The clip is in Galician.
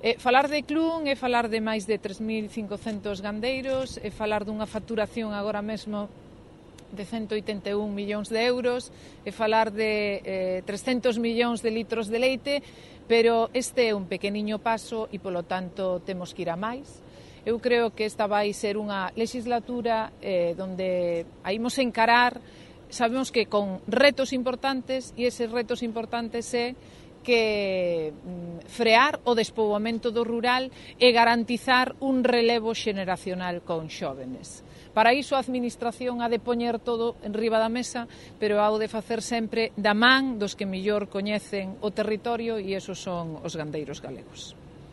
Falar de Clun é falar de máis de 3.500 gandeiros, é falar dunha facturación agora mesmo de 181 millóns de euros, é falar de 300 millóns de litros de leite, pero este é un pequeniño paso e, polo tanto, temos que ir a máis. Eu creo que esta vai ser unha legislatura donde a imos encarar, sabemos que con retos importantes, e eses retos importantes é que frear o despoboamento do rural e garantizar un relevo xeneracional con xóvenes. Para iso a Administración ha de poñer todo enriba da mesa, pero ha de facer sempre da man dos que mellor coñecen o territorio, e esos son os gandeiros galegos.